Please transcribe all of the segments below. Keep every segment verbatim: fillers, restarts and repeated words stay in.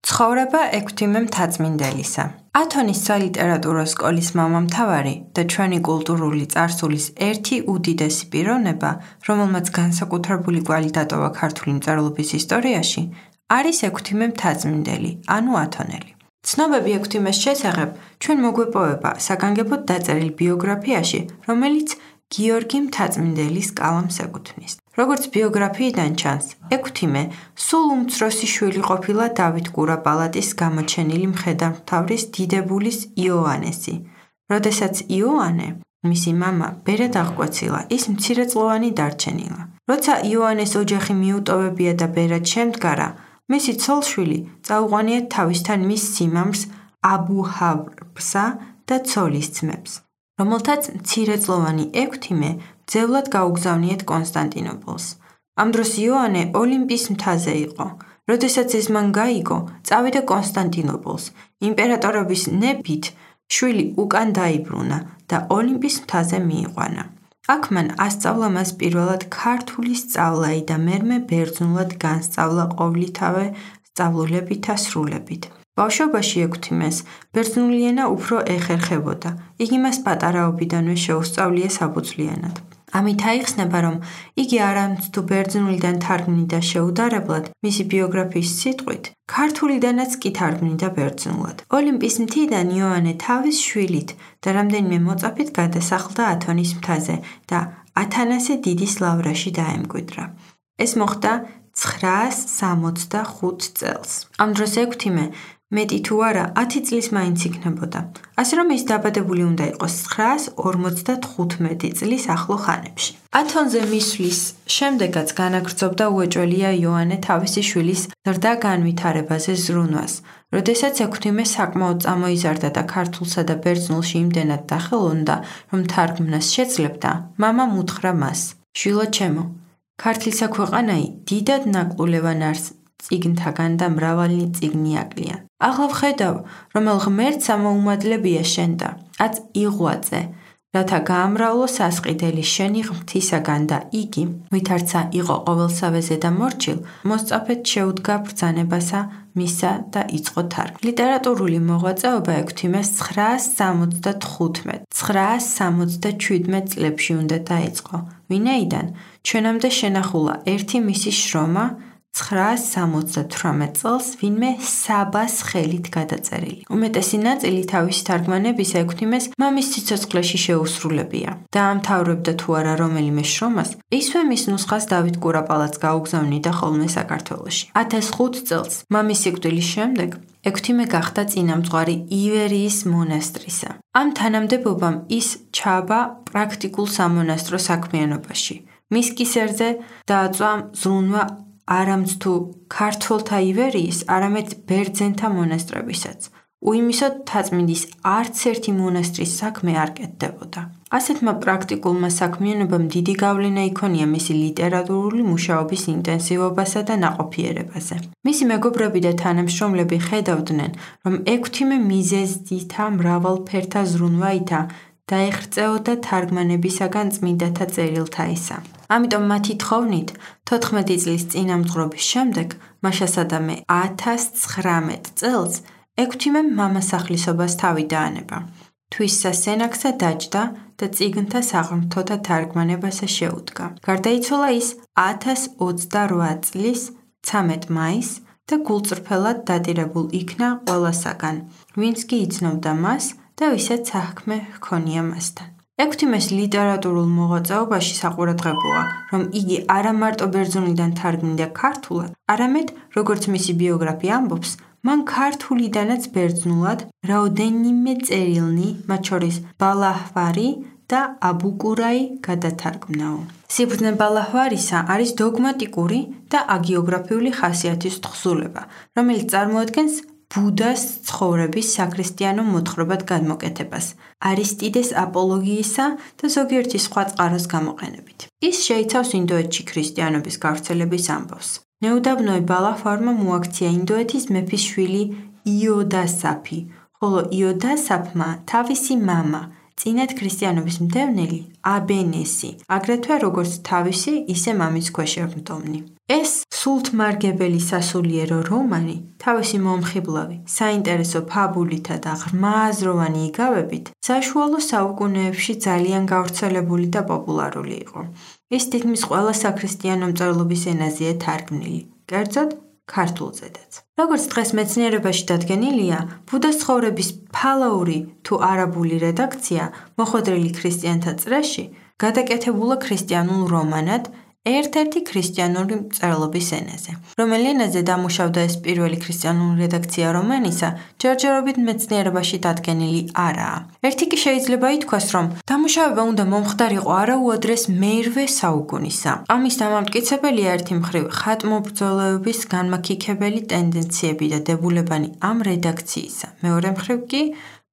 ცხოვრება ექვთიმე მთაწმინდელისა. ათონის სალიტერატურო სკოლის მამამთავარი და ჩვენი კულტურული წარსულის ერთი უდიდესი პიროვნება, რომელმაც განსაკუთრებული კვალი დატოვა ქართული მწერლობის ისტორიაში, არის ექვთიმე მთაწმინდელი, ანუ ათონელი. ცნობები ექვთიმეს შესახებ ჩვენ მოგვეპოვება საგანგებოდ დაწერილ ბიოგრაფიაში, რომელიც გიორგი მთაწმინდელის კალამს ეკუთვნის. როგორც ბიოგრაფიიდან ჩანს, ექვთიმე სულ უმცროსი შვილი ყოფილა დავით კურაპალატის გამოჩენილი მხედართმთავრის დიდებულის იოანესი. როდესაც იოანე, მისი მამა, ბერად აღკვეცილა, ის მცირეწლოვანი დარჩენილა. როცა იოანეს ოჯახი მიუტოვებია და ბერად შემდგარა, მისი ცოლ-შვილი წაუყვანიათ თავისთან მის სიმამრს აბუჰავრბსა და ცოლის ძმებს, რომელთაც მცირეწლოვანი ექვთიმე ძევლად გაუგზავნიათ კონსტანტინოპოლს. ამ დროს იოანე ოლიმპის მთაზე იყო. როდესაც ეს მან გაიგო, წავიდა კონსტანტინოპოლს. იმპერატორობის ნებით შვილი უკან დაიბრუნა და ოლიმპის მთაზე მიიყვანა. აქ მან ასწავლა მას პირველად ქართული სწავლაი და მერმე ბერძნულად განსწავლა ყოვლითავე სწავლულებით და სრულებით. ბავშვობაში ექვთიმეს ბერძნული ენა უფრო ეხერხებოდა. იგი მას პატარაობიდანვე შეუსწავლია საფუძვლიანად. ამით აიხსნება, რომ იგი არამც თუ ბერძნულიდან თარგმნიდა შეუდარებლად, მისი ბიოგრაფიის სიტყვით, ქართულიდანაც კი თარგმნიდა ბერძნულად. ოლიმპის მთიდან იოანე თავის შვილით და რამდენიმე მოწაფით გადასახლდა ათონის მთაზე და ათანასე დიდის ლავრაში დაემკვიდრა. ეს მოხდა ცხრაას სამოცდახუთ წელს. ამ დროს ექვთიმე მეტი თუ არა ათი წლის მაინც იქნებოდა, ასე რომ ის დაბადებული უნდა იყოს ცხრაას ორმოცდათხუთმეტი წლის ახლო ხანებში. ათონზე მისვლის შემდეგაც განაგრძობდა უეჭველია იოანე თავისი შვილის ზრდა განვითარებაზე ზრუნვას. როდესაც ექვთიმე საკმაოდ წამოიზარდა და ქართულსა და ბერძნულში იმდენად დახელოვნდა, რომ თარგმნას შეძლებდა, მამამ უთხრა მას: შვილო ჩემო, ქართლისა ქვეყანაი დიდად ნაკლულევან არს წიგნთაგან და მრავალი წიგნი აკლია. ახლა ვხედავ, რომელ ღმერთს ამოუმადლებია შენ და აც იღვაწე, რათა გაამრავლო სასყიდელი შენი ღმრთისაგან და იგი, ვითარცა იყო ყოველსავეზე და მორჩილ, მოსწაფეთ შეუდგა ბრძანებასა მისა და იწყო თარგმნა. ლიტერატურული მოღვაწეობა ექვთიმეს ცხრაას სამოცდათხუთმეტ ცხრაას სამოცდაშვიდმეტ წლებში უნდა დაიწყო, ვინაიდან ჩვენამდე შენახულა ერთი მისი შრომა ცხრაას სამოცდათვრამეტ წელს ვინმე საბას ხელით გადაწერილი. უმეტესი ნაწილი თავისი თარგმანებისა ექვთიმეს მამის სიცოცხლეში შეუსრულებია. დაამთავრებდა თუ არა რომელიმე შრომას, ისვე მის ნუსხას დავით კურაპალატს გაუგზავნიდა ხოლმე საქართველოში. ათას ხუთ წელს, მამის სიკვდილის შემდეგ, ექვთიმე გახდა წინამძღვარი ივერიის მონასტრისა. ამ თანამდებობამ ის ჩააბა პრაქტიკულ სამონასტრო საქმიანობაში. მის კისერზე დააწვა ზრუნვა არამც თუ ქართველთა ივერიის, არამედ ბერძენთა მონასტრებისაც. უიმისოდ მთაწმინდის არც ერთი მონასტრის საქმე არ კეთდებოდა. ასეთმა პრაქტიკულმა საქმიანობამ დიდი გავლენა იქონია მისი ლიტერატურული მუშაობის ინტენსივობასა და ნაყოფიერებაზე. მისი მეგობრები და თანამშრომლები ხედავდნენ, რომ ექვთიმე მიზეზდითა მრავალფერთა ზრუნვაითა დაეღწეოდა თარგმანებისაგან წმინდათა წერილთაისა. ამიტომ მათი თხოვნით, თოთხმეტი წლის წინამძღვრობის შემდეგ, მაშასადამე ათას ცხრამეტ წელს, ექვთიმემ მამასახლისობას თავი დაანება. თვისსა სენაქსა დაჯდა და წიგნთა საღვთოთა თარგმანებასა შეუდგა. გარდაიცვალა ის ათას ოცდარვა წლის ცამეტ მაისს და გულწრფელად დატირებულ იქნა ყველასაგან, ვინც კი იცნობდა მას და ვისაც საქმე ჰქონია მასთან. ექვთიმეს ლიტერატურულ მოღვაწეობაში საყურადღებოა, რომ იგი არა მარტო ბერძნულიდან თარგმნიდა ქართულად, არამედ, როგორც მისი ბიოგრაფია ამბობს, მან ქართულიდანაც ბერძნულად რაოდენიმე წერილნი, მათ შორის ბალაჰვარი და აბუკურაი გადათარგმნაო. სიბრძნე ბალაჰვარისა არის დოგმატიკური და აგიოგრაფიული ხასიათის თხზულება, რომელიც წარმოადგენს ბუდას ცხოვრების საქრისტიანო მოთხრობად გადმოკეთებას, არისტიდეს აპოლოგიისა და ზოგიერთი სხვა წყაროს გამოყენებით. ის შეიცავს ინდოეთში ქრისტიანობის გავრცელების ამბავს. ნეუდაბნოე ბალაჰვარმა მოაქცია ინდოეთის მეფის შვილი იოდასაფი, ხოლო იოდასაფმა თავისი მამა წინათ ქრისტიანობის მდევნელი აბენესი, აგრეთვე როგორც თავისი, ისე მამის ქვეშ მდომნი. ეს სულთმარგებელი სასულიერო რომანი თავისი მომხიბლავი, საინტერესო ფაბულითა და ღრმააზროვანი იგავებით საშუალო საუკუნეებში ძალიან გავრცელებული და პოპულარული იყო. ის თითქმის ყველა საქრისტიანო მწერლობის ენაზეა თარგმნილი, კერძოდ ქართულზედაც. როგორც დღეს მეცნიერებაში დადგენილია, ბუდას ცხოვრების ფალაური თუ არაბული რედაქცია მოხვედრილი ქრისტიანთა წრეში გადაკეთებულა ქრისტიანულ რომანად ერთ-ერთი ქრისტიანული მწერლობის ენაზე. რომელი ენაზე დამუშავდა ეს პირველი ქრისტიანული რედაქცია რომანისა, ჯერჯერობით მეცნიერებაში დადგენილი არაა. ერთი კი შეიძლება ითქვას, რომ დამუშავება უნდა მომხდარიყო არაუადრეს მერვე საუკუნისა. ამის დამამტკიცებელია ერთი მხრივ ხატმობრძოლეობის განმაქიქებელი ტენდენციები და დებულებანი ამ რედაქციისა. მეორე მხრივ კი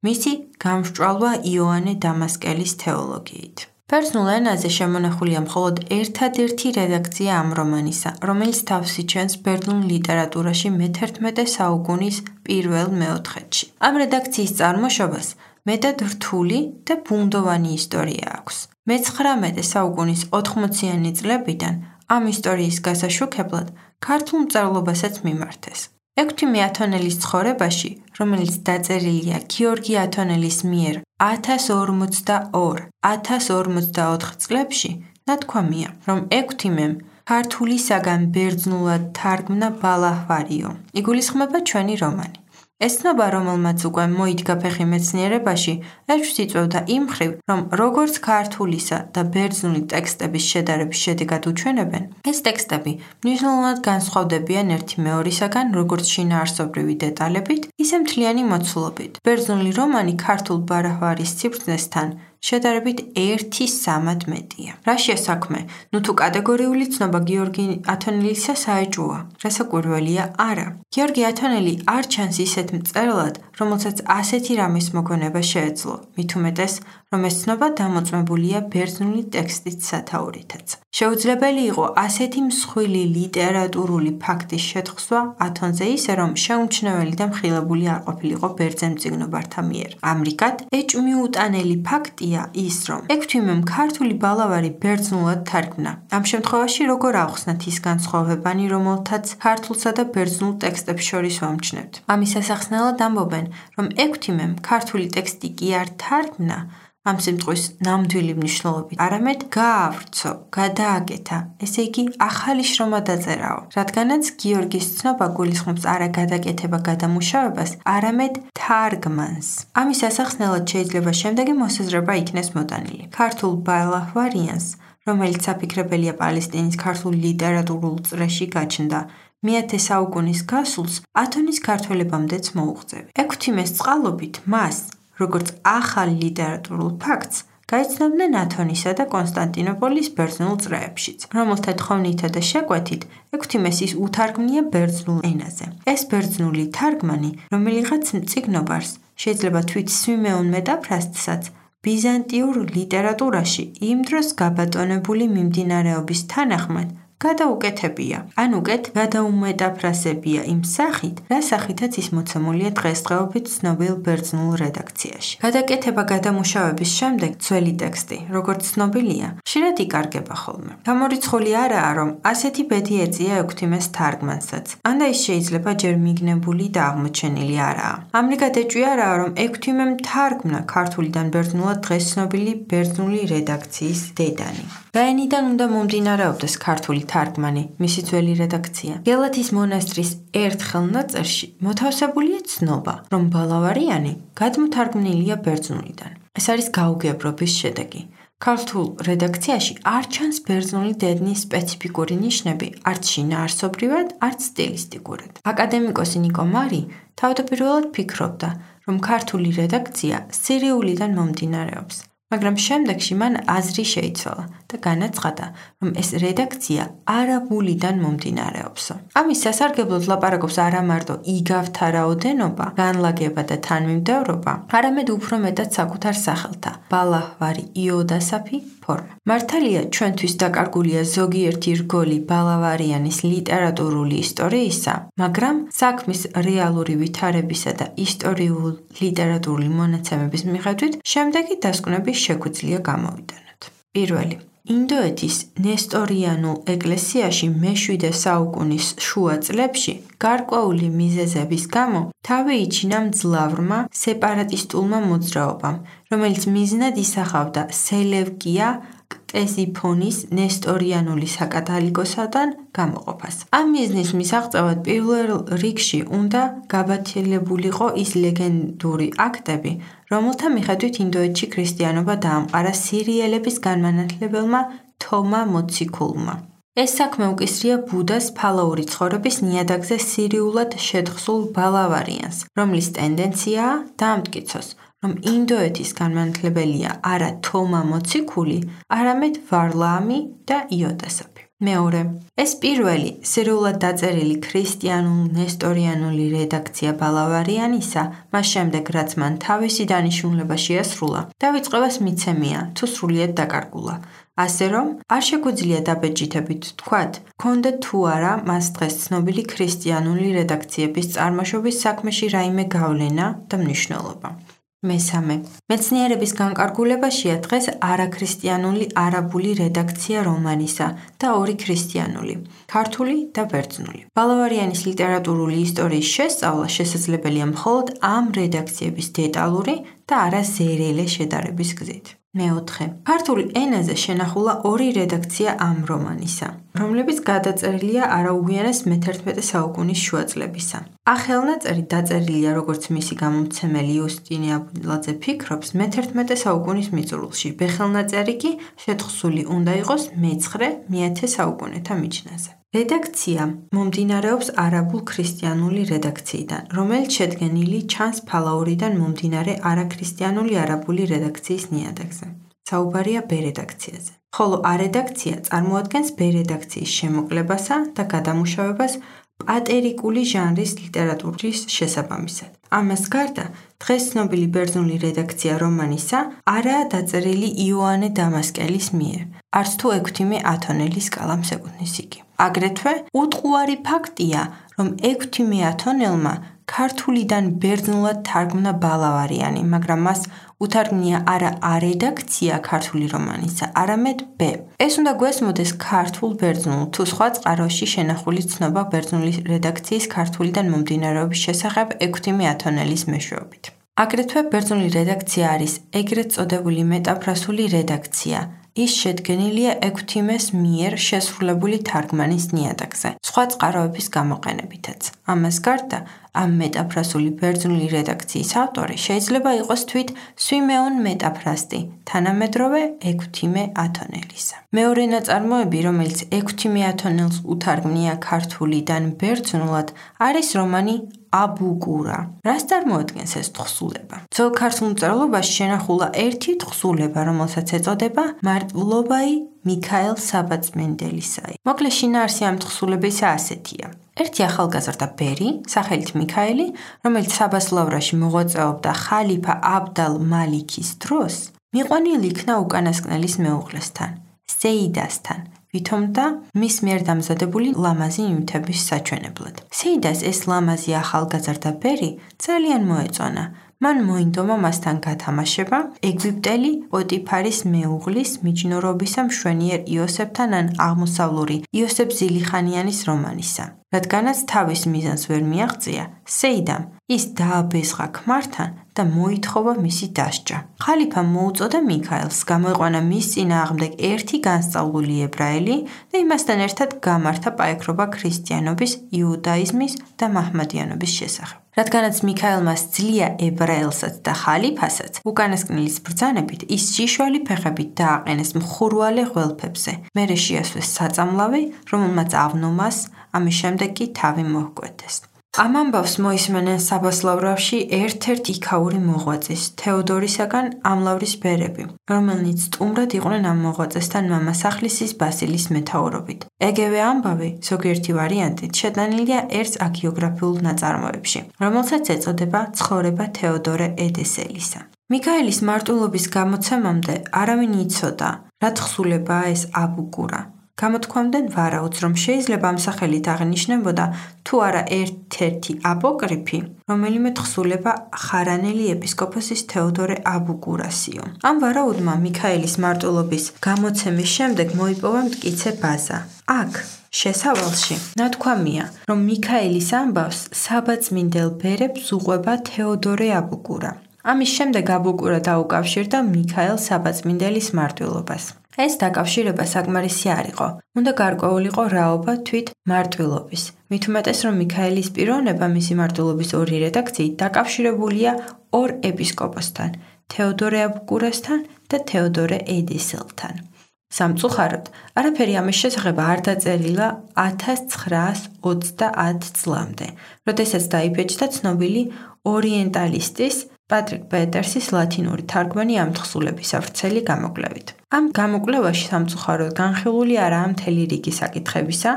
მისი გამსჭვალვა იოანე დამასკელის თეოლოგიით. ბერძნულ ენაზე შემონახულია მხოლოდ ერთადერთი რედაქცია ამ რომანისა, რომელიც თავს იჩენს ბერძნულ ლიტერატურაში მეთერთმეტე საუკუნის პირველ მეოთხედში. ამ რედაქციის წარმოშობას მეტად რთული და ბუნდოვანი ისტორია აქვს. მეცხრამეტე საუკუნის ოთხმოციანი წლებიდან ამ ისტორიის გასაშუქებლად ქართულ მწერლობასაც მიმართეს. ექვთიმე ათონელის ცხოვრებაში, რომელიც დაწერილია გიორგი ათონელის მიერ ათას ორმოცდაორ ათას ორმოცდაოთხ წლებში, ნათქვამია, რომ ექვთიმემ ქართულისაგან ბერძნულად თარგმნა ბალაჰვარიო. იგულისხმება ჩვენი რომანი. ეს ცნობა, რომელმაც უკვე მოიდგა ფეხი მეცნიერებაში, ეჭვს იწვევდა იმ მხრივ, რომ როგორც ქართულისა და ბერძნული ტექსტების შედარების შედეგად უჩვენებენ, ეს ტექსტები მნიშვნელოვნად განსხვავდებიან ერთი მეორისაგან, როგორც შინაარსობრივი დეტალებით, ისე მთლიანი მოცულობით. ბერძნული რომანი ქართულ ბალაჰვარის სიბრძნესთან შედარებით ერთი სამად მეტია. რაშია საქმე? ნუ თუ კატეგორიული ცნობა გიორგი ათონელისა საეჭვოა, რასაკვირველია არა. გიორგი ათონელი არ ჩანს ისეთ მწერლად, რომელსაც ასეთი რამის მოგონება შეეძლო, მით უმეტეს, რომ ეს ცნობა დამოწმებულია ბერძნული ტექსტის სათაურითაც. შეუძლებელი იყო ასეთი მსხვილი ლიტერატურული ფაქტის შეთხსვა ათონზე ისე, რომ შეუმჩნეველი და მხილებული არ ყოფილიყო ბერძენ მწიგნობართა მიერ. ამრიგად, ეჭვმიუტანელი ფაქტია ის, რომ ექვთიმემ ქართული ბალავარი ბერძნულად თარგმნა. ამ შემთხვევაში როგორ ავხსნათ ის განსხვავებანი, რომელთაც ქართულსა და ბერძნულ ტექსტებს შორის ვამჩნევთ? ამის სასახსნელად ამბობენ, რომ ექვთიმემ ქართული ტექსტი კი არ თარგმნა, ამ სიმწყვის ნამდვილი მნიშვნელობით, არამედ გაავრცო, გადააკეთა, ესე იგი ახალი შრომა დაწერაო, რადგანაც გიორგის ცნობა გულისხმობს არა გადაკეთება გადამუშავებას, არამედ თარგმანს. ამის სასახსნელად შეიძლება შემდეგი მოსაზრება იქნეს მოტანილი. ქართულ ბალაჰვარიანს, რომელიც საფიქრებელია პალესტინის ქართულ ლიტერატურულ წრეში გაჩნდა, მეათე საუკუნის გასულს ათონის ქართველებამდეც მოუღწევი. ექვთიმეს წყალობით მას, როგორც ახალ ლიტერატურულ ფაქტს, გაიცნობდნენ ათონისა და კონსტანტინოპოლის ბერძნულ წრეებშიც, რომელთა თხოვნითა და შეკვეთით ექვთიმეს ის უთარგმნია ბერძნულ ენაზე. ეს ბერძნული თარგმანი, რომელიღაც მწიგნობარს შეიძლება თვით სვიმეონ მეტაფრასტსაც ბიზანტიურ ლიტერატურაში იმ დროს გაბატონებული მიმდინარეობის თანახმად გადაუკეთებია, ან უკეთ გადაუმეტაფრასებია იმ სახით, რა სახითაც ის მოცემულია დღესდღეობით ცნობილ ბერძნულ რედაქციაში. გადაკეთება გადამუშავების შემდეგ ძველი ტექსტი, როგორც ცნობილია, ხშირად იკარგება ხოლმე. გამორიცხული არაა, რომ ასეთი ბედი ეწია ექვთიმეს თარგმანსაც, ან და ის შეიძლება ჯერ მიგნებული და აღმოჩენილი არაა. ამრიგად ეჭვი არაა, რომ ექვთიმემ თარგმნა ქართულიდან ბერძნულად დღეს ცნობილი ბერძნული რედაქციის დედანი. რაენიდან უნდა მომდინარეობდეს ქართული თარგმანი, მისი ძველი რედაქცია. გელათის მონასტრის ერთ ხელნაწერში მოთავსებულია ცნობა, რომ ბალავარიანი გადმოთარგმნილია ბერძნულიდან. ეს არის გაუგებრობის შედეგი. ქართულ რედაქციაში არ ჩანს ბერძნული დედნის სპეციფიკური ნიშნები, არც შინაარსობრივად, არც სტილისტიკურად. აკადემიკოსი ნიკო მარი თავდაპირველად ფიქრობდა, რომ ქართული რედაქცია სირიულიდან მომდინარეობს. მაგრამ შემდეგში მან აზრი შეიცვალა და განაცხადა, რომ ეს რედაქცია არაბულიდან მომდინარეობსო. ამის სასარგებლოდ ლაპარაკობს არა მარტო იგავთა რაოდენობა, განლაგება და თანმიმდევრობა, არამედ უფრო მეტად საკუთარ სახელთა ბალაჰვარი იოდასაფი ფორმა. მართალია, ჩვენთვის დაკარგულია ზოგიერთი რგოლი ბალავარიანის ლიტერატურული ისტორიისა, მაგრამ საქმის რეალური ვითარებისა და ისტორიულ-ლიტერატურული მონაცემების მიხედვით შემდეგი დასკვნები შეგვიძლია გამოვიტანოთ. პირველი. ინდოეთის ნესტორიანულ ეკლესიაში მეშვიდე საუკუნის შუა წლებში გარკვეული მიზეზების გამო თავი იჩინა მძლავრმა სეპარატისტულმა მოძრაობამ, რომელიც მიზნად ისახავდა სელევკია ქტესიფონის ნესტორიანული საკათალიკოსოდან გამოყოფას. ამ მიზნის მისაღწევად პირველ რიგში უნდა გაბათილებულიყო ის ლეგენდური აქტები, რომელთა მიხედვით ინდოეთში ქრისტიანობა დაამყარა სირიელების განმანათლებელმა თომა მოციქულმა. ეს საქმე უკისრია ბუდას ფალაური ცხოვრების ნიადაგზე სირიულად შეთხსულ ბალავარიანს, რომლის ტენდენციაა დაამტკიცოს, რომ ინდოეთის განმანათლებელია არა თომა მოციქული, არამედ ვარლაამი და იოდასაფი. მეორე. ეს პირველი სერიულად დაწერილი ქრისტიანულ-ნესტორიანული რედაქცია ბალავარიანისა, მას შემდეგ რაც მან თავისი დანიშნულება შეასრულა, დავიწყებას მიცემია, თუ სრულიად დაკარგულა. ასე რომ, არ შეგვიძლია დაბეჭდებით ვთქვათ, ჰქონდა თუ არა მას დღეს ცნობილი ქრისტიანული რედაქციების წარმოშობის საქმეში რაიმე გავლენა და მნიშვნელობა. მესამე. მეცნიერების განკარგულებაშია დღეს არაქრისტიანული არაბული რედაქცია რომანისა და ორი ქრისტიანული, ქართული და ბერძნული. ბალავარიანის ლიტერატურული ისტორიის შესწავლა შესაძლებელია მხოლოდ ამ რედაქციების დეტალური და არა ზერელე შედარების გზით. მეოთხე. ქართულ ენაზე შენახულა ორი რედაქცია ამ რომანისა, რომლებიც გადაწერილია არაუგვიანეს მეთერთმეტე საუკუნის შუაწლებისა. ახალნაწერი დაწერილია, როგორც მისი გამომცემელი იუსტინე აბილაძე ფიქრობს, მეთერთმეტე საუკუნის მიწურულში, ბეღელნაწერი კი შეთხსული უნდა იყოს მეცხრე მეათე საუკუნეთა მიჯნაზე. რედაქცია მომდინარეობს არაბულ ქრისტიანული რედაქციიდან, რომელიც შედგენილი ჩანს ფალაურიდან მომდინარე არაქრისტიანული არაბული რედაქციის ნიადაგზე. საუბარია ბ რედაქციაზე. ხოლო ა რედაქცია წარმოადგენს ბ რედაქციის შემოკლებასა და გადამუშავებას პატერიკული ჟანრის ლიტერატურის შესაბამისად. ამას გარდა, დღეს ცნობილი ბერძნული რედაქცია რომანისა არაა დაწერილი იოანე დამასკელის მიერ, არც თუ ექვთიმე ათონელის კალამს ეკუთვნის იგი. აგრეთვე, უტყუარი ფაქტია, რომ ექვთიმე ათონელმა ქართულიდან ბერძნულად თარგმნა ბალავარიანი, მაგრამ მას უთარგმნია არა ა რედაქცია ქართული რომანისა, არამედ ბ. ეს უნდა გვესმოდეს ქართულ ბერძნულ თუ სხვა წყაროში შენახული ცნობა ბერძნული რედაქციის ქართულიდან მომდინარეობის შესახებ ექვთიმე ათონელის მეშვეობით. აგრეთვე ბერძნული რედაქცია არის ეგრეთ წოდებული მეტაფრასული რედაქცია. ის შედგენილია ექვთიმეს მიერ შესრულებული თარგმანის ნიადაგზე, სხვა წყაროების გამოყენებითაც. ამას გარდა, ამ მეტაფრასული ბერძნული რედაქციის ავტორი შეიძლება იყოს თვით სვიმეონ მეტაფრასტი, თანამედროვე ექვთიმე ათონელისა. მეორე ნაწარმოები, რომელიც ექვთიმე ათონელს უთარგმნია ქართულიდან ბერძნულად, არის რომანი აბუკურა. რას წარმოადგენს ეს თხზულება? ძველ ქართულ მწერლობაში შენახულა ერთი თხზულება, რომელსაც ეწოდება მარტვილობაი მიქაელ საბაწმენდელისაი. მოკლე შინაარსი ამ თხზულებისა ასეთია. ერთი ახალგაზრდა ბერი, სახელით მიქაელი, რომელიც საბას ლავრაში მოღვაწეობდა ხალიფა აბდალ მალიქის დროს, მიყვანილი იქნა უკანასკნელის მეუღლესთან, სეიდასთან, ვითომდა მის მიერ დამზადებული ლამაზი ნივთების საჩვენებლად. სეიდას ეს ლამაზი ახალგაზრდა ბერი ძალიან მოეწონა. მან მოინდომა მასთან გათამაშება ეგვიპტელი პოტიფარის მეუღლის მიჯნურობისა მშვენიერ იოსებთან ან აღმოსავლური იოსებ ზილიხანიანის რომანისა. რადგანაც თავის მიზანს ვერ მიაღწია, სეიდამ ის დააბეზღა ქმართან და მოითხოვა მისი დასჯა. ხალიფამ მოუწოდა მიქაელს, გამოიყვანა მის წინააღმდეგ ერთი განსწავლული ებრაელი და იმასთან ერთად გამართა პაექრობა ქრისტიანობის, იუდაიზმის და მაჰმადიანობის შესახებ. რადგანაც მიქაელმა სძლია ებრაელსაც და ხალიფასაც, უკანასკნელის ბრძანებით ის შიშველი ფეხებით დააყენეს მხურვალე ღველფებზე. მერე შეასვეს საწამლავი, რომელმაც ავნომას, ამის შემდეგ კი თავი მოჰკვეთეს. ამ ამბავს მოისმენენ საბას ლავრაში ერთ-ერთ იქაური მოღვაწის, თეოდორისაგან ამლავრის ბერები, რომელნიც სტუმრად იყვნენ ამ მოღვაწესთან მამასახლისის ბასილის მეთაურობით. ეგევე ამბავი, ზოგიერთი ვარიანტით, შეტანილია ერთ აგიოგრაფიულ ნაწარმოებში, რომელსაც ეწოდება ცხოვრება თეოდორე ედესელისა. მიქაელის მარტვილობის გამოცემამდე არავინ იცოდა, რა თხზულებაა ეს აბუგურა? გამოთქვამდნენ ვარაუდს, რომ შეიძლება ამ სახელით აღნიშნებოდა თუ არა ერთ-ერთი აპოკრიფი, რომელიმე თხზულება ხარანელი ეპისკოპოსის თეოდორე აბუგურასიო. ამ ვარაუდმა მიქაელის მარტვილობის გამოცემის შემდეგ მოიპოვა მტკიცე ბაზა. აქ შესავალში ნათქვამია, რომ მიქაელის ამბავს საბაწმინდელ ბერებს უყვება თეოდორე აბუგურა. ამის შემდეგ აბუგურა დაუკავშირდა მიქაელ საბაწმინდელის მარტვილობას. ეს დაკავშირება საკმარისი არ იყო. უნდა გარკვეულიყო რაობა თვით მარტვილობის. მით უმეტეს, რომ მიქაელის პიროვნება მისი მარტვილობის ორი რედაქციით დაკავშირებულია ორ ეპისკოპოსთან, თეოდორე აბუგურასთან და თეოდორე ედისელთან. სამწუხაროდ, არაფერი ამის შესახებ არ დაწერილა ათას ცხრაას ოცდაათ წლამდე, როდესაც დაიბეჭდა ცნობილი ორიენტალისტის პატრიკ პეტერსის ლათინური თარგმანი ამ თხზულების ვრცელი გამოკვლევით. ამ გამოკვლევაში სამწუხაროდ განხილული არაა მთელი რიგი საკითხებისა,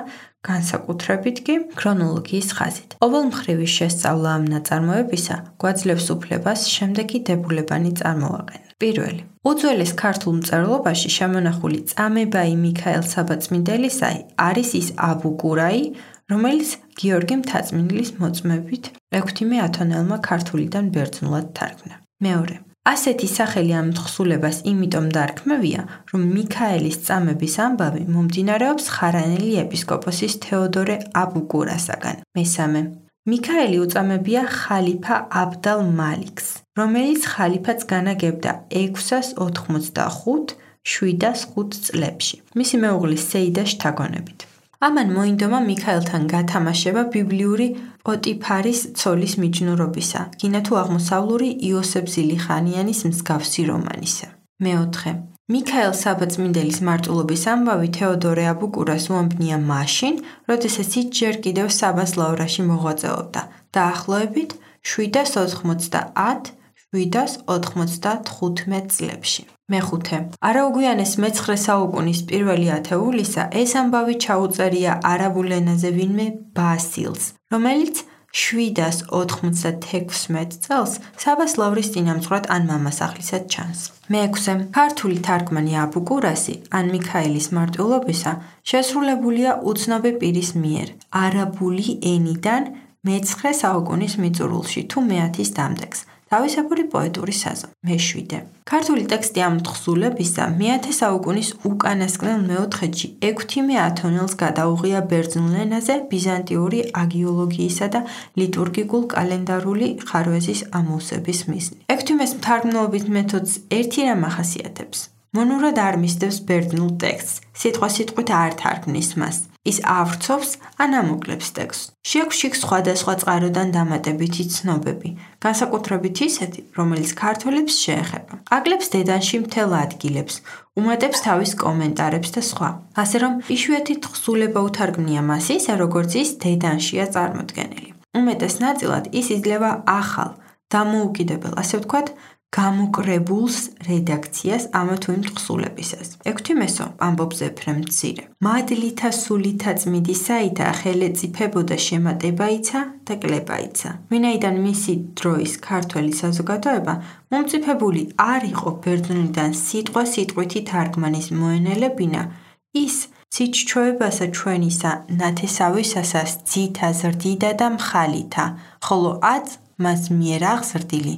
განსაკუთრებით კი ქრონოლოგიის ხაზით. ყოველმხრივი შესწავლა ამ ნაწარმოებისა გვაძლევს უფლებას შემდეგი დებულებანი წარმოვაყენოთ. პირველი. უძველეს ქართულ მწერლობაში შემონახული წამებაი მიქაელ საბაწმინდელისა არის ის აბუგურაი, რომელიც გიორგი მთაწმინდის მოწმებით ექვთიმე ათონელმა ქართულიდან ბერძნულად თარგმნა. მეორე. ასეთი სახელი ამ თხზულებას იმიტომ დარქმევია, რომ მიქაელის წამების ამბავი მომდინარეობს ხარანელი ეპისკოპოსის თეოდორე აბუგურასაგან. მესამე. მიქაელი უწამებია ხალიფა აბდალ მალიქს, რომელიც ხალიფატს განაგებდა ექვსას ოთხმოცდახუთ შვიდას ხუთ წლებში, მისი მეუღლის სეიდას შთაგონებით. ამან მოინდომა მიქაელთან გათამაშება ბიბლიური პოტიფარის ცოლის მიჯნურობისა, გინა თუ აღმოსავლური იოსებ ზილიხანიანის მსგავსი რომანისა. მეოთხე. მიქაელ საბაწმინდელის მარტვილობის ამბავი თეოდორე აბუგურას უამბნია მაშინ, როდესაც ის ჯერ კიდევ საბას ლავრაში მოღვაწეობდა, დაახლოებით შვიდას ოთხმოცდაათ შვიდას ოთხმოცდათხუთმეტ წლებში. მეხუთე. არაუგვიანეს მეცხრე საუკუნის პირველი ათეულისა ეს ამბავი ჩაუწერია არაბულ ენაზე ვინმე ბასილს, რომელიც შვიდას ოთხმოცდათექვსმეტ წელს საბას ლავრის წინამძღვრად ან მამასახლისად ჩანს. მეექვსე. ქართული თარგმანი აბუგურასი ან მიქაელის მარტვილობისა შესრულებულია უცნობი პირის მიერ არაბული ენიდან მეცხრე საუკუნის მიწურულში თუ მეათის დამდეგს. თავისებური პოეტური საზომი. მეშვიდე. ქართული ტექსტი ამ თხზულებისა მეათე საუკუნის უკანასკნელ მეოთხედში ექვთიმე ათონელს გადაუღია ბერძნულ ენაზე ბიზანტიური აგიოლოგიისა და ლიტურგიკულ კალენდარული ხარვეზის ამოვსების მიზნით. ექვთიმეს მთარგმნელობით მეთოდს ერთი რამ ახასიათებს. მონურად არ მისდევს ბერძნულ ტექსტს, სიტყვასიტყვით არ თარგმნის მას. ის ავრცობს ან ამოკლებს ტექსტს. შეგვშიქს სხვადასხვა წყაროდან დამატებითი ცნობები, განსაკუთრებით ისეთი, რომელიც ქართველებს შეეხება. აკლებს დედანში მთელ ადგილებს, უმატებს თავის კომენტარებს და სხვა. ასე რომ, იშვიათი თხზულება უთარგმნია მას ისე, როგორც ის დედანშია წარმოდგენილი. უმეტეს ნაწილად ის იძლევა ახალ, დამოუკიდებელ, ასე ვთქვათ, გამოკრებულს რედაქციას ამა თუ იმ თხზულებისას. ექვთიმესო ამბობს ეფრემ მცირე. მადლითა სულითა წმიდისაითა ხელეწიფებოდა შემატებაიცა და კლებაიცა. ვინაიდან მისი დროის ქართველი საზოგადოება მომწიფებული არ იყო ბერძნულიდან სიტყვა სიტყვითი თარგმანის მოენელებინა, ის ციჩჩოებასა ჩვენისა ნათესავისასა ძითა ზრდიდა და მხალითა, ხოლო აც მას მიერ აღზრდილი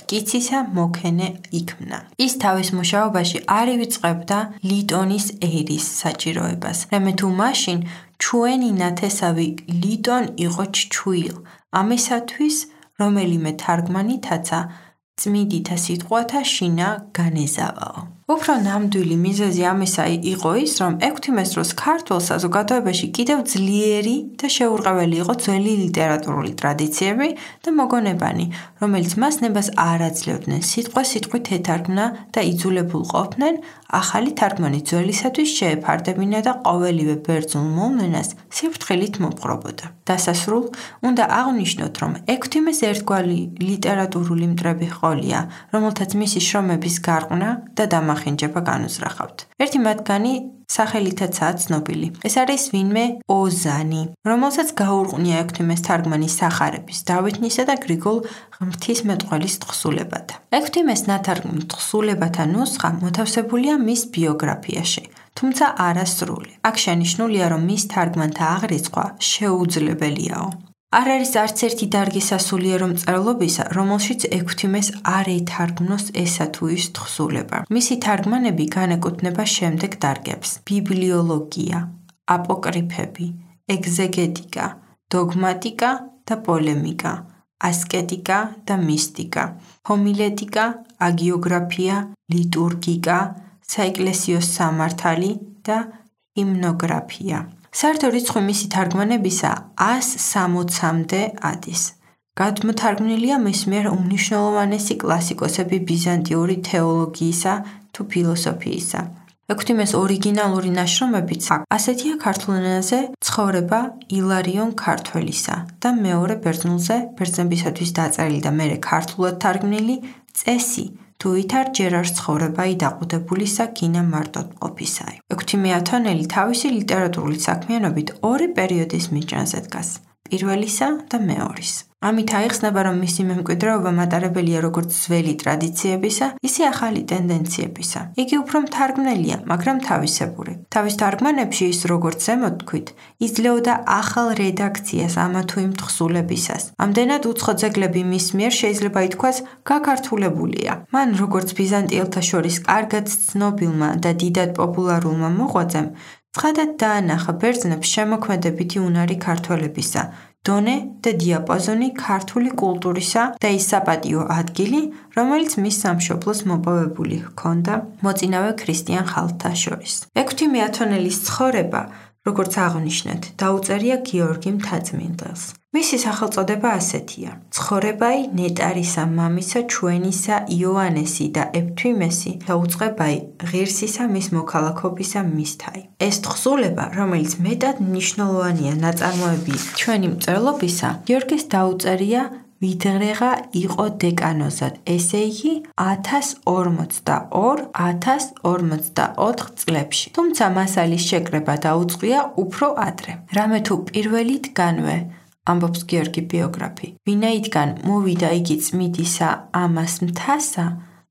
კიცისა მოქენე იქმნა. ის თავის მუშაობაში არ ივიწყებდა ლიტონის ერის საჭიროებას, რამე თუ მაშინ ჩვენი ნათესავი ლიტონ იყო ჩჩუილ, ამისათვის რომელიმე თარგმანითაცა წმიდითა სიტყვათა შინა განეზავაო. უფრო ნამდვილი მიზეზი ამისა იყო ის, რომ ექვთიმეს დროს ქართულ საზოგადოებაში კიდევ ძლიერი და შეურყეველი იყო ძველი ლიტერატურული ტრადიციები და მოგონებანი, რომელიც მას ნებას არ აძლევდნენ სიტყვა სიტყვით ეთარგმნა და იძულებულ ყოფდნენ ახალი თარგმანი ძველისათვის შეეფარდებინა და ყოველივე ბერძნულ მოვლენას სიფრთხილით მომპყრობოდა. დასასრულ უნდა აღვნიშნოთ, რომ ექვთიმეს ერთგვარი ლიტერატურული მტრები ჰყოლია, რომელთაც მისი შრომების გარყნა და დამახ გამახინჯება განუზრახავთ. ერთი მათგანი სახელითაცაა ცნობილი. ეს არის ვინმე ოზანი, რომელსაც გაურყვნია ექვთიმეს თარგმანი სახარების, დავითნისა და გრიგოლ ღვთისმეტყველის თხზულებათა. ექვთიმეს ნათარგმნ თხზულებათა ნუსხა მოთავსებულია მის ბიოგრაფიაში, თუმცა არასრული. აქ შენიშნულია, რომ მის თარგმანთა აღრიცხვა შეუძლებელიაო. არ არის არც ერთი დარგი სასულიერო მწერლობისა, რომელშიც ექვთიმეს არ ეთარგმნოს ესა თუ ის თხზულება. მისი თარგმანები განეკუთვნება შემდეგ დარგებს: ბიბლიოლოგია, აპოკრიფები, ეგზეგეტიკა, დოგმატიკა და პოლემიკა, ასკეტიკა და მისტიკა, ჰომილეტიკა, აგიოგრაფია, ლიტურგიკა, საეკლესიო სამართალი და ჰიმნოგრაფია. საერთო რიცხვი მისი თარგმანებისა ას სამოცამდე ადის. გადმოთარგმნილია მის მიერ უმნიშვნელოვანესი კლასიკოსები ბიზანტიური თეოლოგიისა თუ ფილოსოფიისა. ექვთიმეს ორიგინალური ნაშრომებიც ასეთია ქართულ ენაზე ცხოვრება ილარიონ ქართველისა და მეორე ბერძნულზე ბერძნებისათვის დაწერილი და მერე ქართულად თარგმნილი წესი თუ ვითარ ჯერარ ცხოვრებაი დაყუდებულისა გინა მარტოყოფისაი. ექვთიმე ათონელი თავისი ლიტერატურული საქმიანობით ორი პერიოდის მიჯნაზე დგას: პირველისა და მეორის. ამით აიხსნება, რომ მისი მემკვიდრეობა მატარებელია როგორც ძველი ტრადიციებისა, ისე ახალი ტენდენციებისა. იგი უფრო მთარგმნელია, მაგრამ თავისებური. თავის თარგმანებში ის, როგორც ზემოთ თქვით, იძლეოდა ახალ რედაქციას ამა თუ იმ თხზულებისას. ამდენად უცხო ძეგლები მის მიერ შეიძლება ითქვას გაქართულებულია. მან, როგორც ბიზანტიელთა შორის კარგად ცნობილმა და დიდად პოპულარულმა მოღვაწემ, ცხადად დაანახა ბერძნებს შემოქმედებითი უნარი ქართველებისა, დონე და დიაპაზონი ქართული კულტურისა და ის საპატიო ადგილი, რომელიც მის სამშობლოს მოპოვებული ჰქონდა მოწინავე ქრისტიან ხალხთა შორის. ექვთიმე ათონელის ცხოვრება, როგორც აღვნიშნეთ, დაუწერია გიორგი მთაწმინდელს. მისი სახელწოდება ასეთია: ცხოვრებაი ნეტარისა მამისა ჩვენისა იოანესი და ექვთიმესი დაუწყებაი ღირსისა მის მოქალაქობისა მისთაი. ეს თხზულება, რომელიც მეტად მნიშვნელოვანია ნაწარმოები ჩვენი მწერლობისა, გიორგის დაუწერია ვიდღრეღა იყო დეკანოზად, ესე იგი ათას ორმოცდაორ ათას ორმოცდაოთხ წლებში. თუმცა მასალის შეკრება დაუწყია უფრო ადრე. რამე თუ პირველიდგანვე, ამბობს გიორგი ბიოგრაფი, ვინაიდან მოვიდა იგი წმიდისა ამას მთასა,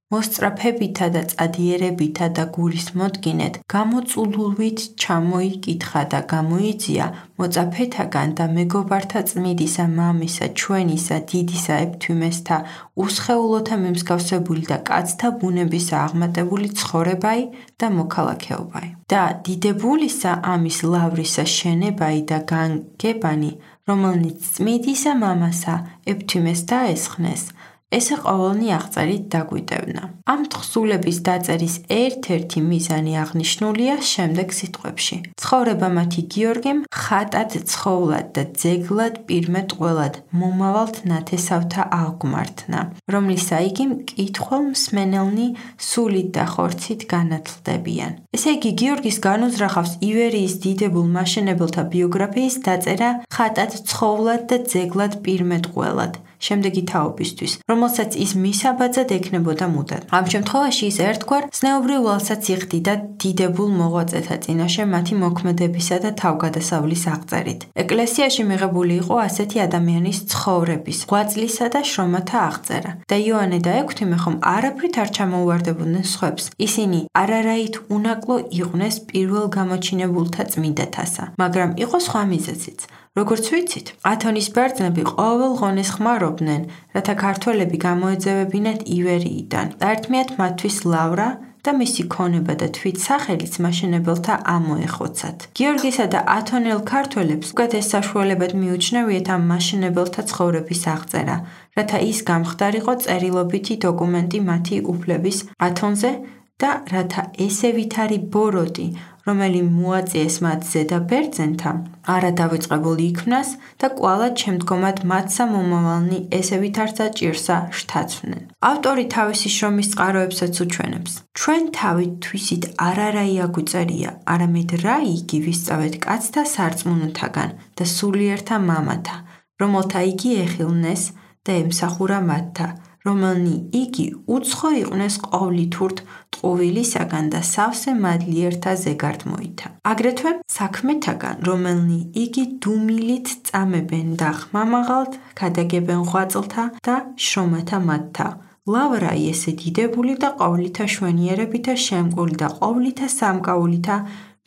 მოსწრაფებითა და წადიერებითა და გულის მოდგინეთ, გამოწულულვით ჩამოიკითხა და გამოიძია მოწაფეთაგან და მეგობართა წმიდისა მამისა ჩვენისა დიდისა ექვთიმესთა უსხეულოთა მიმსგავსებული და კაცთა ბუნებისა აღმატებული ცხოვრებაი და მოქალაქეობაი. და დიდებულისა ამის ლავრისა შენებაი და განგებანი, რომელნიც წმიდისა მამასა ექვთიმეს დაესხნეს, ესე ყოველნი აღწერით დაგვიტევნა. ამ თხზულების დაწერის ერთ-ერთი მიზანი აღნიშნულია შემდეგ სიტყვებში: ცხოვრება მათი გიორგიმ ხატად ცხოვლად და ძეგლად პირმეტყველად მომავალთ ნათესავთა აღგმართნა, რომლისა იგი მკითხველს მსმენელნი სულით და ხორცით განათლდებიან. ესე იგი გიორგის განუზრახავს ივერიის დიდებულ მაშენებელთა ბიოგრაფიის დაწერა ხატად ცხოვლად და ძეგლად პირმეტყველად, შემდეგი თაობისთვის, რომელსაც ის მისაბაძად ექნებოდა მუდად. ამ შემთხვევაში ის ერთგვარ ზნეობრივ ვალსაც იხდიდა დიდებულ მოღვაწეთა წინაშე მათი მოქმედებისა და თავგადასავლის აღწერით. ეკლესიაში მიღებული იყო ასეთი ადამიანის ცხოვრების, ღვაწლისა და შრომათა აღწერა. და იოანე და ექვთიმე ხომ არაფრით არ ჩამოუვარდებოდნენ სხვებს. ისინი არარაით უნაკლო იყვნენ პირველ გამოჩინებულთა წმინდათასა, მაგრამ იყო სხვა მიზეზიც. როგორც ვიცით, ათონის ბერძნები ყოველ ღონეს ხმარობდნენ, რათა ქართველები გამოეძევებინათ ივერიიდან. საერთმეად მათთვის ლავრა და მისი ქონება და თვით სახელიც მაშენებელთა ამოეხოცათ. გიორგისა და ათონელ ქართველებს უკეთეს საშუალებად მიუჩნევიათ ამ მაშენებელთა ცხოვრების აღწერა, რათა ის გამხდარიყო წერილობითი დოკუმენტი მათი უფლების ათონზე და რათა ესე ვითარი ბოროტი, რომელი მოაწიეს მათ ზედა ბერძენთა, არა დავიწყებული იქნას და კვალად შემდგომად მათსა მომავალნი ესე ვითარცა ჭირსა შთაცვნენ. ავტორი თავისი შრომის წყაროებსაც უჩვენებს. ჩვენ თავით თვისით არარაი აგვიწერია, არამედ რა იგი ვისწავეთ კაცთა სარწმუნოთაგან და სულიერთა მამათა, რომელთა იგი ეხილნეს და ემსახურა მათთა, რომელნი იგი უცხო იყვნეს ყოვლითურთ ტყუვილისაგან და სავსე მადლიერთა ზეგარდ მოითა. აგრეთვე საქმეთაგან, რომელნი იგი დუმილით წამებენ და ხმამაღალთ ქადაგებენ ღვაწლთა და შრომათა მათთა. ლავრა ესე დიდებული და ყოვლითა შვენიერებითა შემკული და ყოვლითა სამკაულითა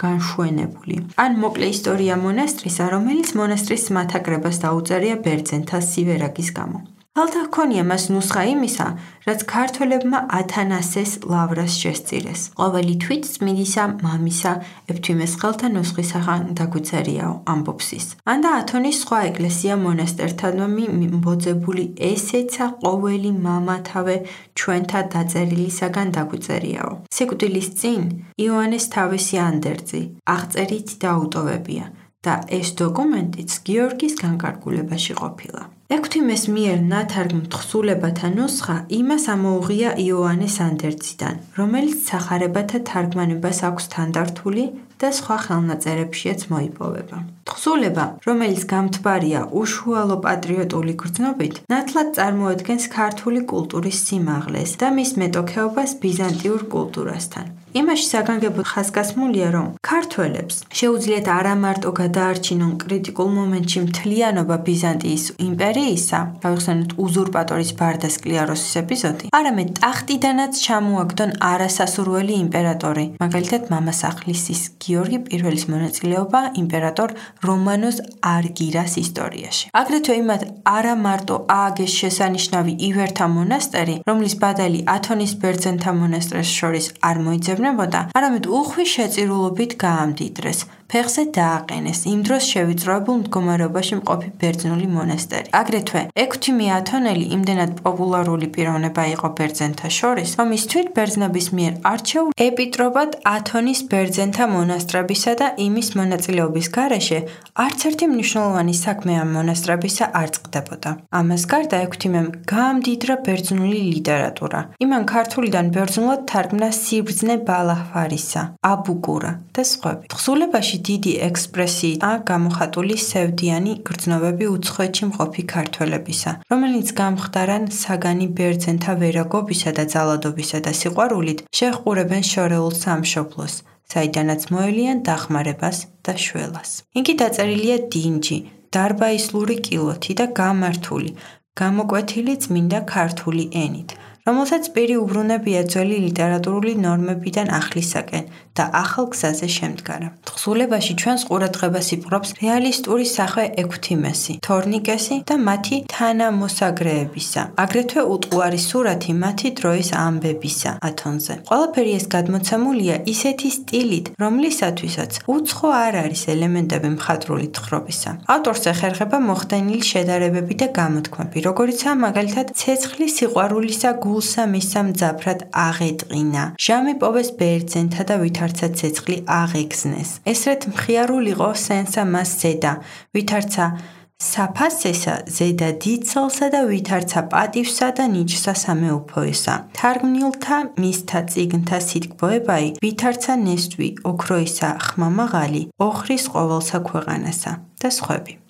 განშვენებული. ან მოკლე ისტორია მონასტრისა, რომელიც მონასტრის მათაკრებას დაუწერია ბერძენთა სივერაგის გამო. ალთა ჰქონია მას ნუსხა იმისა, რაც ქართველებმა ათანასეს ლავრას შესწირეს. ყოველი თვით წმინდისა მამისა ეფთვიმეს ხელთა ნუსხისაგან დაგვიწერიაო, ამბობს ის. ანდა ათონის სხვა ეკლესია მონასტერთანვე მიბოძებული ესეცა ყოველი მამათავე ჩვენთა დაწერილისაგან დაგვიწერიაო. სიკვდილის წინ იოანეს თავისი ანდერძი, აღწერით დაუტოვებია და ეს დოკუმენტიც გიორგის განკარგულებაში ყოფილა. ექვთიმეს მიერ ნათარგმნ თხზულებათა ნუსხა იმას ამოუღია იოანეს ანდერძიდან, რომელიც სახარებათა თარგმანებას აქვს თანდართული და სხვა ხელნაწერებშიაც მოიპოვება. თხზულება, რომელიც გამთბარია უშუალო პატრიოტული გრძნობით, ნათლად წარმოადგენს ქართული კულტურის სიმაღლეს და მის მეტოქეობას ბიზანტიურ კულტურასთან. იმაში საგანგებოდ ხაზგასმულია, რომ ქართველებს შეუძლიათ არა მარტო გადაარჩინონ კრიტიკულ მომენტში მთლიანობა ბიზანტიის იმპერიისა, გავიხსენოთ უზურპატორის ბარდა სკლიაროსის ეპიზოდი, არამედ ტახტიდანაც ჩამოაგდონ არასასურველი იმპერატორი, მაგალითად მამასახლისის გიორგი პირველის მონაწილეობა იმპერატორ რომანოს არგირას ისტორიაში. აგრეთვე იმათ არა მარტო ააგეს შესანიშნავი ივერთა მონასტერი, რომლის ბადალი ათონის ბერძენთა მონასტრებს შორის არ მოიძებნებოდა, არამედ უხვი შეწირულობით გაამდიდრეს. ფეხზე დააყენეს იმ დროს შევიწროებულ მდგომარეობაში მყოფი ბერძნული მონასტერი. აგრეთვე ექვთიმე ათონელი იმდენად პოპულარული პიროვნება იყო ბერძენთა შორის, რომ ის თვით ბერძნების მიერ არჩეულ ეპიტროპად ათონის ბერძენთა მონასტრებისა და იმის მონაწილეობის გარეშე არც ერთი მნიშვნელოვანი საქმე ამ მონასტრებისა არ წყდებოდა. ამას გარდა ექვთიმემ გაამდიდრა ბერძნული ლიტერატურა. იმან ქართულიდან ბერძნულად თარგმნა სიბრძნე ბალაჰვარისა, აბუკურა და სხვები. თხზულებაში დიდი ექსპრესიით გამოხატული სევდიანი გრძნობები უცხოეთში მყოფი ქართველებისა, რომელიც გამხდარან საგანი ბერძენთა ვერაგობისა და ძალადობისა და სიყვარულით შეჰყურებენ შორეულ სამშობლოს, საიდანაც მოელიან დახმარებას და შველას. იგი დაწერილია დინჯი, დარბაისლური კილოთი და გამართული, გამოკვეთილი წმინდა ქართული ენით, რომელსაც პირი უბრუნებია ძველი ლიტერატურული ნორმებიდან ახლისაკენ და ახალ გზაზე შემდგარა. თხზულებაში ჩვენს ყურადღებას იპყრობს რეალისტური სახვე ექვთიმესი, თორნიკესი და მათი თანამოსაგრეებისა, აგრეთვე უტყუარი სურათი მათი დროის ამბებისა ათონზე. ყველაფერი ეს გადმოცემულია ისეთი სტილით, რომლისათვისაც უცხო არ არის ელემენტები მხატვრული თხრობისა. ავტორს ეხერხება მოხდენილი შედარებები და გამოთქმები, როგორიცაა მაგალითად ცეცხლი სიყვარულისა გულსა მისსა მძაფრად აღეტყინა, ჟამი პოვეს ბერძენთა და ვითარცა ცეცხლი აღეგზნეს. ესრეთ მხიარულიყო სენსა მას ზედა, ვითარცა საფასესა ზედა დიდცალსა და ვითარცა პატივსა და ნიჭსა სამეუფოესა. თარგმნილთა მისთა წიგნთა სიტყვოებაი, ვითარცა ნესტვი ოქროისა ხმამაღალი, ოხრის ყოველსა ქვეყანასა და სხვები.